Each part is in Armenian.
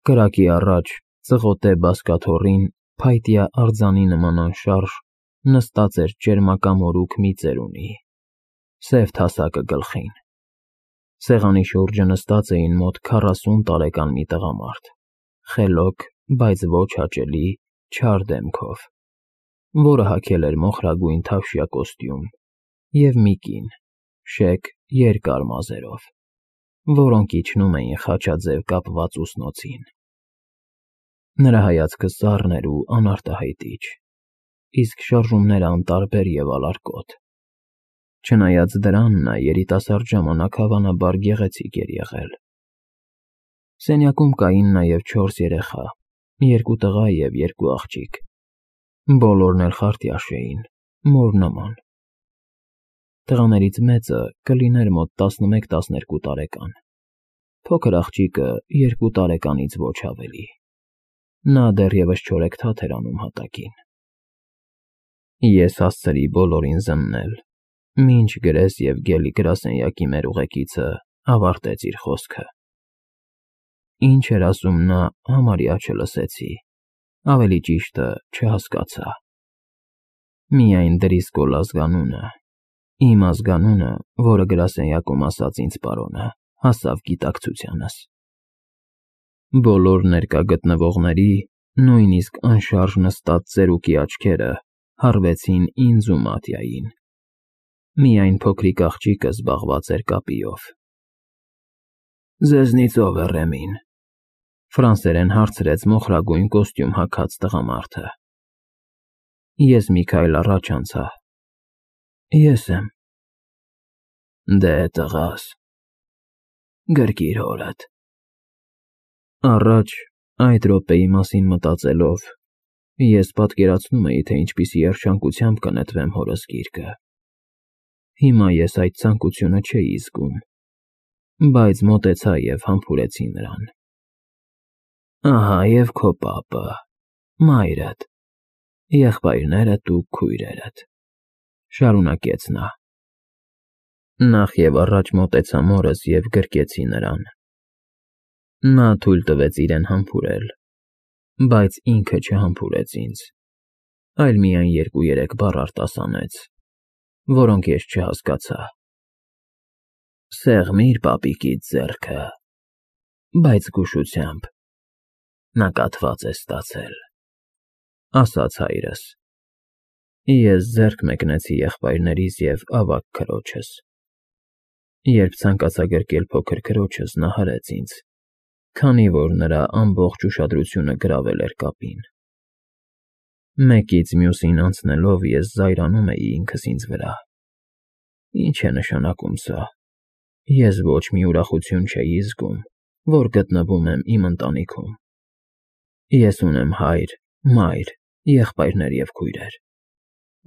Կրակի առաջ, ծղոտե բազկաթոռին, փայտյա արձանի նման անշարժ, նստած էր ճերմակամորուք մի ծերունի, սև թասակը գլխին։ Սեղանի շուրջը նստած էին մոտ 40 տարեկան մի տղամարդ, խելոք, բայց ոչ հաճելի, չար դեմքով, որը հագել էր մոխրագույն թավշյա կոստյում, և մի կին, շեկ, երկար մազերով, որոնք իջնում էին խաչաձև կապված ուսնոցին։ Նրա հայացքը սառն էր ու անարտահայտիչ, իսկ շարժումները անտարբեր և ալարկոտ։ Չնայած դրան, նա երիտասարդ ժամանակ հավանաբար գեղեցիկ էր եղել։ Սենյակում կային նաև 4 երեխա, 2 տղա և 2 աղջիկ, բոլորն էլ խարտյաշ էին, մոր նման։ Տղաներից մեծը կլիներ մոտ 11-12 տարեկան, փոքր աղջիկը 2 տարեկանից ոչ ավելի։ Նա դեռևս չորեքթաթ էր անում հատակին։ Ես հասցրի բոլորին զննել, մինչ գրես և գելի գրասենյակի մեր ուղեկիցը ավարտեց իր խոսքը։ Ինչ էր ասում նա, համարյա չլսեցի, ավելի ճիշտը չհասկացա։ Միայն Դրիսկոլ ազգանունը, իմ ազգանունը, որը գրասենյակում ասաց ինձ պարոնը, հասավ գիտակցությանս։ Բոլոր ներկա գտնվողների, նույնիսկ անշարժ նստած ծերուկի աչքերը հառվեցին ինձ ու Մատյային։ Միայն փոքրիկ աղջիկը զբաղված էր կապիով։ «Ձեզնից ով է Ռեմին», ֆրանսերեն հարցրեց մոխրագույն կոստյում հագած տղամարդը։ Ես մի քայլ առաջ անցա։ Ես եմ։ Դե տղաս, գրկիր հորդ։ Առաջ, այդ րոպեի մասին մտածելով, ես պատկերացնում էի, թե ինչպիսի երջանկությամբ կնետվեմ հորս գիրկը։ Հիմա ես այդ ցանկությունը չէի զգում, բայց մոտեցա և համբուրեցի նրան։ Ահա և քո պապը, մայրդ, եղբայրներդ ու քույրերդ, շարունակեց նա։ Նախ և առաջ մոտեցա մորս և գրկեցի նրան։ Նա թույլ տվեց իրեն համբուրել, բայց ինքը չհամբուրեց ինձ, այլ միայն 2-3 բառ արտասանեց, որոնք ես չհասկացա։ Սեղմիր պապիկիդ ձեռքը, բայց զգուշությամբ, նա կաթված է ստացել, ասաց հայրս։ Ես ձեռք մեկնեցի եղբայրներիս և ավագ քրոջս։ Երբ ցանկացա գրկել փոքր քրոջս, նա հրեց ինձ, քանի որ նրա ամբողջ ուշադրությունը գրավել էր կապին։ Մեկից մյուսին անցնելով ես զայրանում էի ինքս ինձ վրա։ Ինչ է նշանակում սա։ Ես ոչ մի ուրախություն չէի զգում, որ գտնվում եմ իմ ընտանիքում։ Ես ունեմ հայր, մայր, եղբայրներ և քույրեր։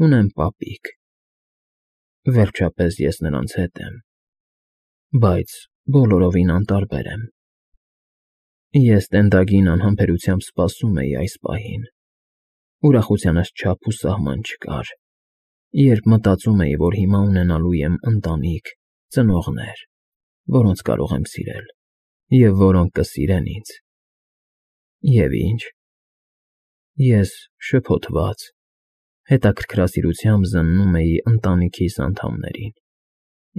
Ունեմ պապիկ։ Վերջապես ես նրանց հետ եմ, բայց բոլորովին անտարբեր եմ։ Ես տենդագին անհամբերությամբ սպասում էի այս պահին։ Ուրախությանս չափ ու սահման չկար, երբ մտածում էի, որ հիմա ունենալու եմ ընտանիք, ծնողներ, որոնց կարող եմ սիրել, և որոնք կսիրեն ինձ։ Եվ ինչ։ Ես շփոթված, հետաքրքրասիրությամբ զննում էի ընտանիքիս անդամներին,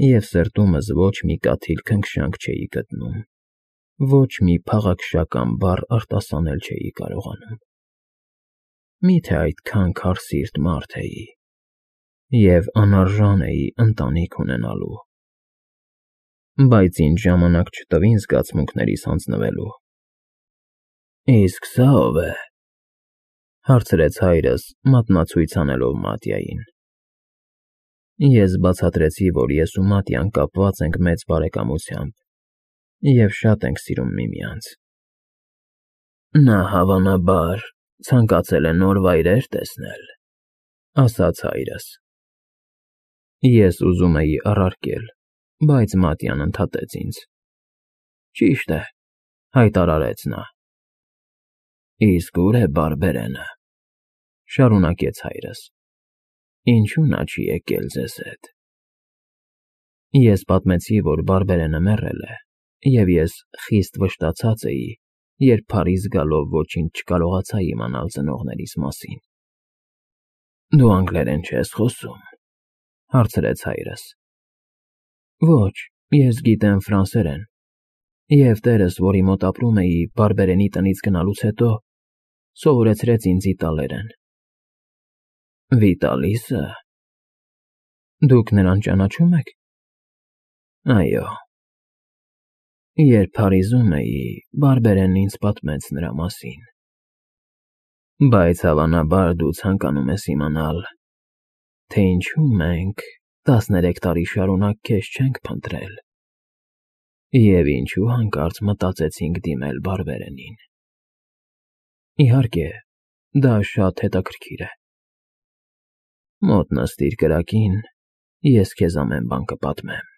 և սրտումս ոչ մի կաթիլ քնքշանք չէի գտնում, ոչ մի փաղաքշական բառ արտասանել չէի կարողանում։ Մի՞թե այդքան քարսիրտ մարդ էի և անարժան էի ընտանիք ունենալու։ Բայց ինձ ժամանակ չտվին զգացմունքներիս հանձնվելու։ Իսկ սա ո՞վ է, հարցրեց հայրս, մատնացույց անելով Մատյային։ Ես բացատրեցի, որ ես ու Մատյան կապված ենք մեծ բարեկամությամբ և շատ ենք սիրում միմյանց։ Նա հավանաբար ցանկացել է նոր վայրեր տեսնել, ասաց հայրս։ Ես ուզում էի առարկել, բայց Մատյան ընդհատեց ինձ։ Ճիշտ է, հայտարարեց նա։ Իսկ ուր է Բարբերենը, շարունակեց հայրս։ Ինչու նա չի եկել ձեզ հետ։ Ես պատմեցի, որ Բարբերենը մեռել է, և ես խիստ վշտացած էի երբ Փարիզ գալով ոչինչ չկարողացա իմանալ ծնողներիս մասին։ Դու անգլերեն չես խոսում, հարցրեց հայրս։ Ոչ, ես գիտեմ ֆրանսերեն, և տերս, որի մոտ ապրում էի բարբերենի տնից գնալուց հետո, սովորեցրեց ինձ իտալերեն։ Վիտալիսը։ Դուք նրան ճանաչում եք։ Այո։ Երբ Փարիզում էի, բարբերենն ինձ պատմեց նրա մասին։ Բայց հավանաբար դու ցանկանում ես իմանալ, թե ինչու մենք 13 տարի շարունակ քեզ չենք փնտրել, և ինչու հանկարծ մտածեցինք դիմել բարբերենին։ Իհարկե, դա շատ հետաքրքիր է։ Մոտ նստիր կրակին, ես քեզ ամեն բան կպատմեմ։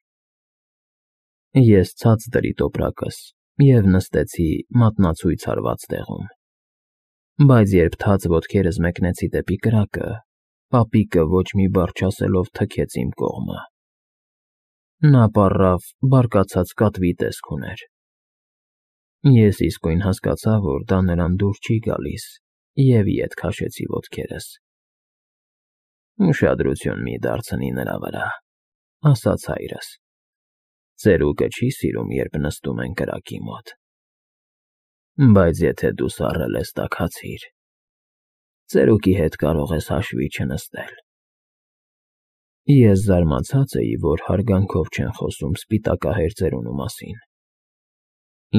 Ես ցած դրի տոպրակս և նստեցի մատնացույց հարված տեղում, բայց երբ թաց ոտքերս մեկնեցի դեպի կրակը, պապիկը ոչ մի բառ չասելով թքեց իմ կողմը։ Նա պառավ բարկացած կատվի տեսք ուներ։ Ես իսկույն հասկացա, որ դա նրան դուր չի գալիս, և ետ քաշեցի ոտքերս։ Ուշադրություն մի դարձնի նրա վրա, ասաց հայրս։ Ծերուկը չի սիրում, երբ նստում են կրակի մոտ։ Բայց եթե դու սառել ես, տաքացիր։ Ծերուկի հետ կարող ես հաշվի չնստել։ Ես զարմացած էի, որ հարգանքով չեն խոսում սպիտակահեր ծերունու մասին։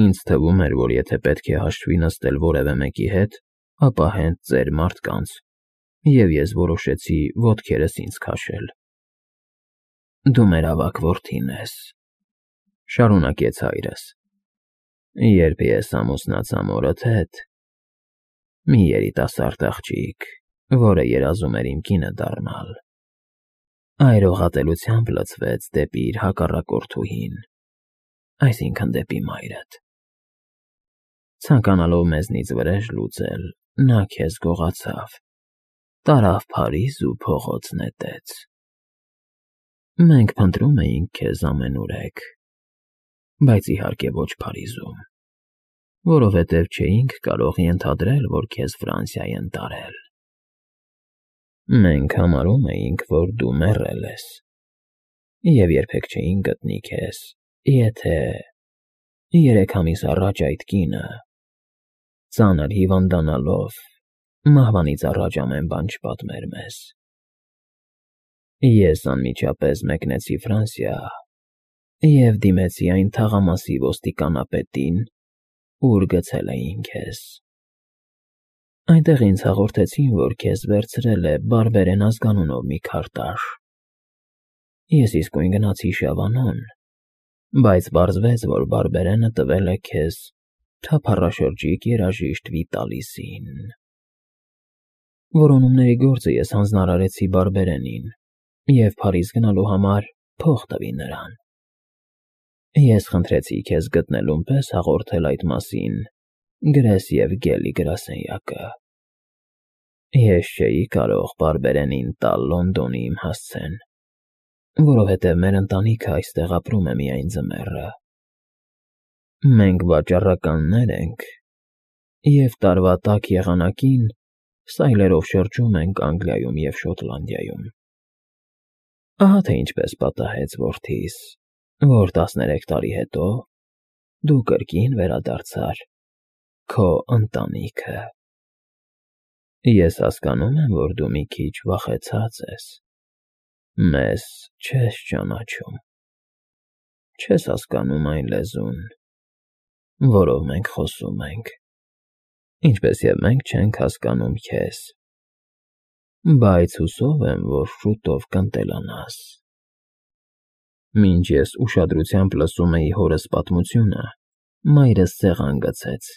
Ինձ թվում էր, որ եթե պետք է հաշվի նստել որևէ մեկի հետ, ապա հենց ծեր մարդկանց, և ես որոշեցի ոտքերս ինձ քաշել։ Դու մեր ավագ որդին ես, շարունակեց հայրս։ Երբ ես ամուսնացա մորդ հետ, մի երիտասարդ աղջիկ, որը երազում էր իմ կինը դառնալ, այրողատելությամբ լցվեց դեպի իր հակառակորդուհին, այսինքն դեպի մայրդ։ Ցանկանալով մեզնից վրեժ լուծել, նա քեզ գողացավ, տարավ Փարիզ ու փողոց նետեց։ Մենք փնտրում էինք քեզ ամենուրեք, բայց իհարկե ոչ Փարիզում, որովհետև չէինք կարող ենթադրել, որ քեզ Ֆրանսիա են տարել։ Մենք համարում էինք, որ դու մեռել ես, և երբեք չէինք գտնի քեզ, եթե 3 ամիս առաջ այդ կինը, ծանր հիվանդանալով, մահվանից առաջ ամեն բան չպատմեր մեզ։ Ես անմիջապես մեկնեցի Ֆրանսիա և դիմեցի այն թաղամասի ոստիկանապետին, ուր գցել էին քեզ։ Այնտեղ ինձ հաղորդեցին, որ քեզ վերցրել է բարբերեն ազգանունով մի քարտաշ։ Ես իսկույն գնացի Շավանոն, բայց պարզվեց, որ բարբերենը տվել է քեզ թափառաշրջիկ երաժիշտ Վիտալիսին։ Որոնումների գործը ես հանձնարարեցի բարբերենին և Փարիզ գնալու համար փող տվի նրան։ Ես խնդրեցի քեզ գտնելուն պես հաղորդել այդ մասին Գրես և Գելի գրասենյակը։ Ես չէի կարող բարբերենին տալ Լոնդոնի իմ հասցեն, որովհետև մեր ընտանիքը այստեղ ապրում է միայն ձմեռը։ Մենք վաճառականներ ենք և տարվա տաք եղանակին սայլերով շրջում ենք Անգլիայում և Շոտլանդիայում։ Ահա թե ինչպես պատահեց, որդիս, որ 13 տարի հետո դու կրկին վերադարձար քո ընտանիքը։ Ես հասկանում եմ, որ դու մի քիչ վախեցած ես։ Մեզ չես ճանաչում։ Չես հասկանում այն լեզուն, որով մենք խոսում ենք, ինչպես և մենք չենք հասկանում քեզ, բայց հուսով եմ, որ շուտով կընտելանաս։ Մինչ ես ուշադրությամբ լսում էի հորս պատմությունը, մայրս սեղան գցեց,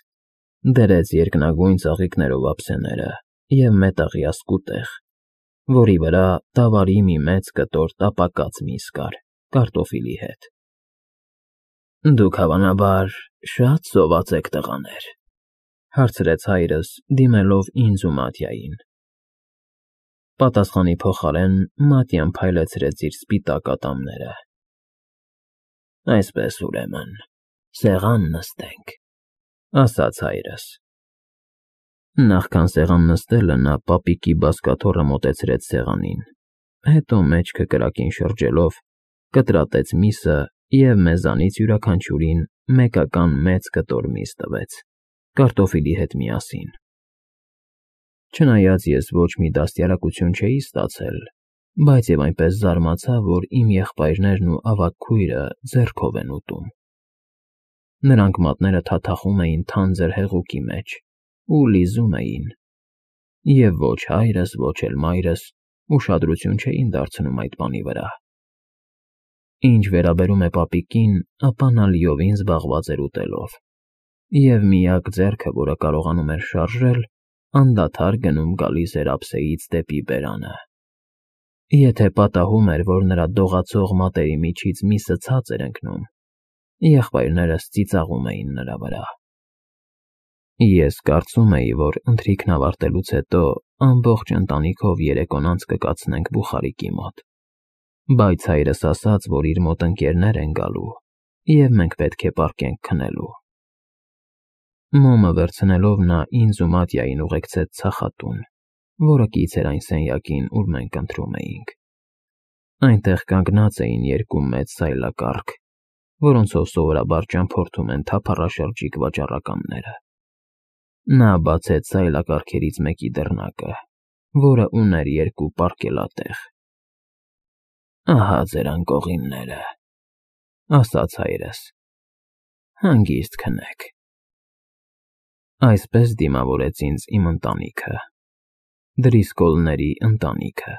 դրեց երկնագույն ծաղիկներով ափսեները և մետաղյա սկուտեղ, որի վրա դավարի մի մեծ կտոր տապակած միս կար կարտոֆիլի հետ։ Դուք հավանաբար շատ սոված եք, տղաներ, հարցրեց հայրս, դիմելով ինձ ու Մատյային։ Պատասխանի փոխարեն Մատյան փայլեցրեց իր սպիտակ ատամները։ Այսպես, ուրեմն, սեղան նստենք։ ասաց հայրս։ Նախքան սեղան նստելը նա պապիկի բազկաթոռը մոտեցրեց սեղանին, հետո մեջքը կրակին շրջելով կտրատեց միսը և մեզանից յուրաքանչյուրին մեկական մեծ կտոր միս տվեց, կարտոֆիլի հետ միասին։ Չնայած ես ոչ մի դաստիարակություն չէի ստացել, բայց և այնպես զարմացա, որ իմ եղբայրներն ու ավագ քույրը ձեռքով են ուտում։ Նրանք մատները թաթախում էին թանձր հեղուկի մեջ ու լիզում էին, և ոչ հայրս, ոչ էլ մայրս ուշադրություն չէին դարձնում այդ բանի վրա։ Ինչ վերաբերում է պապիկին, ապա նա լիովին զբաղված էր ուտելով, և միակ ձեռքը, որը կարողանում էր շարժել, անդադար գնում֊գալիս էր ափսեից դեպի բերանը։ Եթե պատահում էր, որ նրա դողացող մատերի միջից միսը ցած էր ընկնում, եղբայրներս ծիծաղում էին նրա վրա։ Ես կարծում էի, որ ընթրիքն ավարտելուց հետո ամբողջ ընտանիքով երեկոն անց կկացնենք Բուխարիկի մոտ, բայց հայրս ասաց, որ իր մոտ ընկերներ են գալու, և մենք պետք է պառկենք քնելու։ Մոմը վերցնելով նա ինձ ու Մատյային ուղեկցեց ցախատուն, որը կից էր այն սենյակին, ուր մենք ընթրում էինք։ Այնտեղ կանգնած էին երկու մեծ սայլակառք, որոնցով սովորաբար ճամփորդում են թափառաշրջիկ վաճառականները։ Նա բացեց սայլակառքերից մեկի դռնակը, որը ուներ երկու պառկելատեղ։ «Ահա ձեր անկողինները», ասաց հայրս, «հանգիստ քնեք»։ Այսպես դիմավորեց ինձ իմ ընտանիքը, Դրիսկոլների ընտանիքը։